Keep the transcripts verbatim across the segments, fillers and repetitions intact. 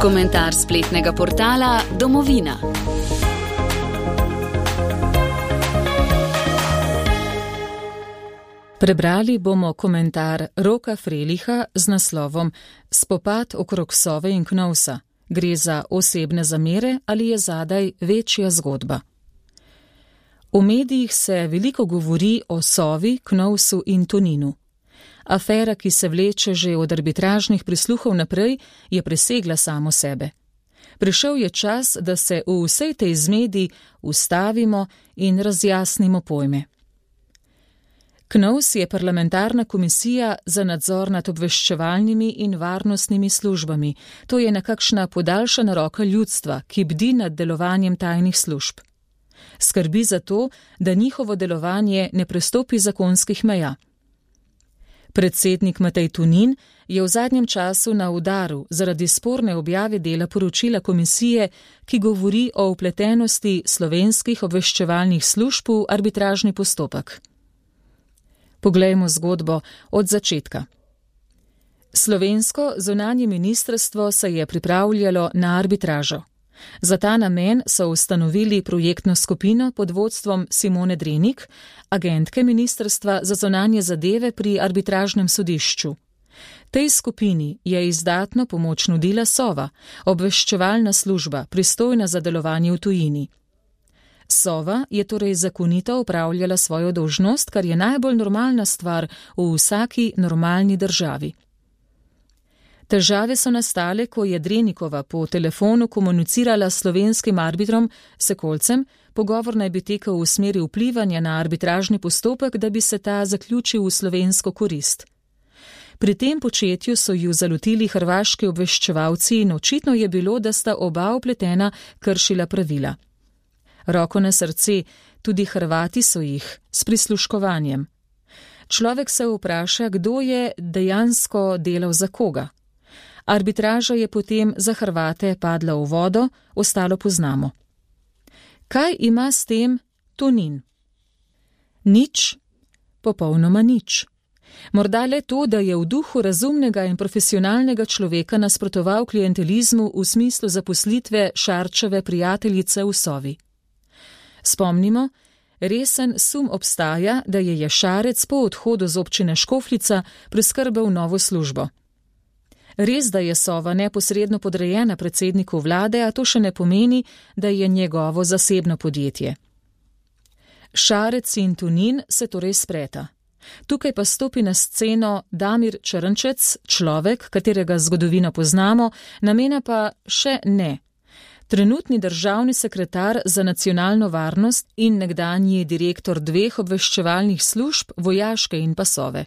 Komentar spletnega portala Domovina. Prebrali bomo komentar Roka Freliha z naslovom Spopad okrog Sove in Knovsa. Gre za osebne zamere ali je zadaj večja zgodba? V medijih se veliko govori o Sovi, Knovsu in Toninu. Afera, ki se vleče že od arbitražnih prisluhov naprej, je presegla samo sebe. Prišel je čas, da se v vsej tej zmedi ustavimo in razjasnimo pojme. Knovs je parlamentarna komisija za nadzor nad obveščevalnimi in varnostnimi službami. To je nekakšna podaljšana roka ljudstva, ki bdi nad delovanjem tajnih služb. Skrbi za to, da njihovo delovanje ne prestopi zakonskih meja. Predsednik Matej Tonin je v zadnjem času na udaru zaradi sporne objave dela poročila komisije, ki govori o vpletenosti slovenskih obveščevalnih služb v arbitražni postopek. Poglejmo zgodbo od začetka. Slovensko zunanje ministrstvo se je pripravljalo na arbitražo. Za ta namen so ustanovili projektno skupino pod vodstvom Simone Drenik, agentke Ministrstva za zunanje zadeve pri arbitražnem sodišču. Tej skupini je izdatno pomoč nudila Sova, obveščevalna služba, pristojna za delovanje v tujini. Sova je torej zakonito opravljala svojo dolžnost, kar je najbolj normalna stvar v vsaki normalni državi. Težave so nastale, ko je Drenikova po telefonu komunicirala s slovenskim arbitrom Sekolcem, pogovor naj bi tekel v smeri vplivanja na arbitražni postopek, da bi se ta zaključil v slovensko korist. Pri tem početju so ju zalotili hrvaški obveščevalci in očitno je bilo, da sta oba vpletena kršila pravila. Roko na srce, tudi Hrvati so jih, s prisluškovanjem. Človek se vpraša, kdo je dejansko delal za koga. Arbitraža je potem za Hrvate padla v vodo, ostalo poznamo. Kaj ima s tem Tonin? Nič, popolnoma nič. Morda le to, da je v duhu razumnega in profesionalnega človeka nasprotoval klientelizmu v smislu zaposlitve Šarčeve prijateljice v Sovi. Spomnimo, resen sum obstaja, da je Šarec po odhodu z občine Škofljica priskrbel novo službo. Res, da je Sova neposredno podrejena predsedniku vlade, a to še ne pomeni, da je njegovo zasebno podjetje. Šarec in Tonin se torej spreta. Tukaj pa stopi na sceno Damir Črnčec, človek, katerega zgodovino poznamo, namena pa še ne. Trenutni državni sekretar za nacionalno varnost in nekdanji direktor dveh obveščevalnih služb, vojaške in pa Sove.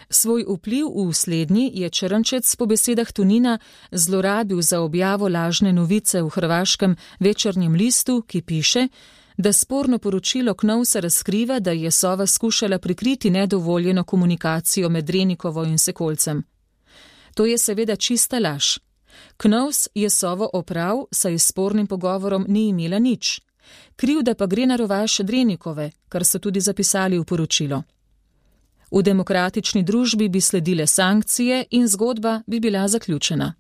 Svoj vpliv v slednji je Črnčec po besedah Tonina zlorabil za objavo lažne novice v hrvaškem Večernjem listu, ki piše, da sporno poročilo Knovsa razkriva, da je Sova skušala prikriti nedovoljeno komunikacijo med Drenikovo in Sekolcem. To je seveda čista laž. Knovs je Sovo oprav, saj s spornim pogovorom ni imela nič. Krivda pa gre na rovaš Drenikove, kar so tudi zapisali v poročilo. V demokratični družbi bi sledile sankcije in zgodba bi bila zaključena.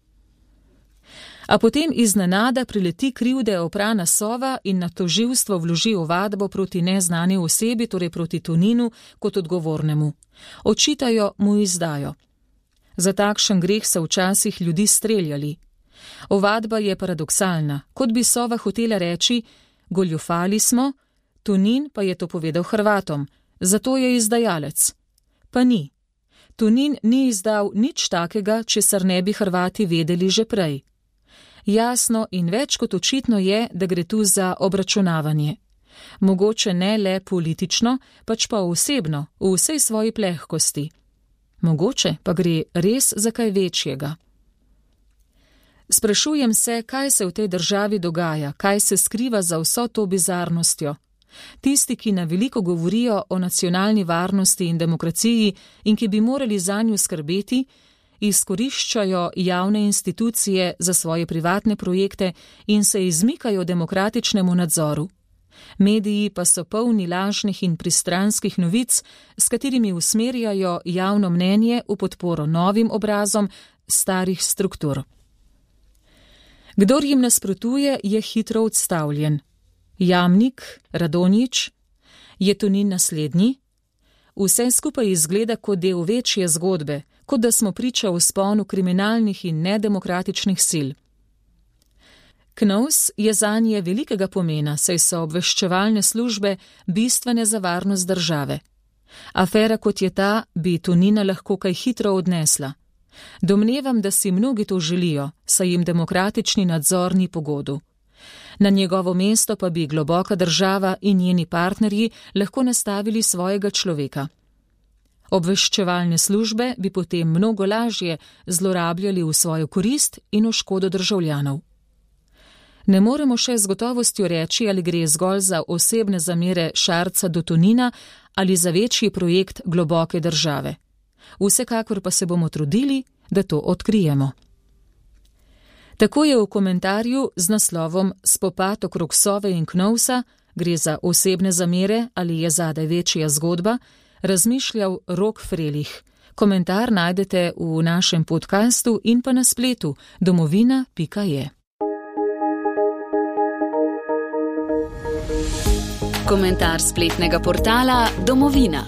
A potem iznenada prileti krivde oprana Sova in na tožilstvo vloži ovadbo proti neznani osebi, torej proti Toninu, kot odgovornemu. Očitajo mu izdajo. Za takšen greh so včasih ljudi streljali. Ovadba je paradoksalna, kot bi Sova hotela reči, goljufali smo, Tonin pa je to povedal Hrvatom, zato je izdajalec. Pa ni. Tonin ni izdal nič takega, česar ne bi Hrvati vedeli že prej. Jasno in več kot očitno je, da gre tu za obračunavanje. Mogoče ne le politično, pač pa osebno, v vsej svoji plehkosti. Mogoče pa gre res za kaj večjega. Sprašujem se, kaj se v tej državi dogaja, kaj se skriva za vso to bizarnostjo. Tisti, ki na veliko govorijo o nacionalni varnosti in demokraciji in ki bi morali zanju skrbeti, izkoriščajo javne institucije za svoje privatne projekte in se izmikajo demokratičnemu nadzoru. Mediji pa so polni lažnih in pristranskih novic, s katerimi usmerjajo javno mnenje v podporo novim obrazom starih struktur. Kdor jim nasprotuje, je hitro odstavljen. Jamnik, Radonjić, je Tonin naslednji? Vse skupaj izgleda kot del večje zgodbe, kot da smo priča vzponu kriminalnih in nedemokratičnih sil. Knovs je zanje velikega pomena, saj so obveščevalne službe bistvene za varnost države. Afera kot je ta bi Tonina lahko kaj hitro odnesla. Domnevam, da si mnogi to želijo, saj jim demokratični nadzor ni pogodu. Na njegovo mesto pa bi globoka država in njeni partnerji lahko nastavili svojega človeka. Obveščevalne službe bi potem mnogo lažje zlorabljali v svojo korist in v škodo državljanov. Ne moremo še z gotovostjo reči, ali gre zgolj za osebne zamere Šarca do Tonina ali za večji projekt globoke države. Vsekakor pa se bomo trudili, da to odkrijemo. Tako je v komentarju z naslovom Spopad okrog Sove in Knovsa, gre za osebne zamere ali je zadaj večja zgodba, razmišljal Rok Frelih. Komentar najdete v našem podcastu in pa na spletu domovina pika je. Komentar spletnega portala Domovina.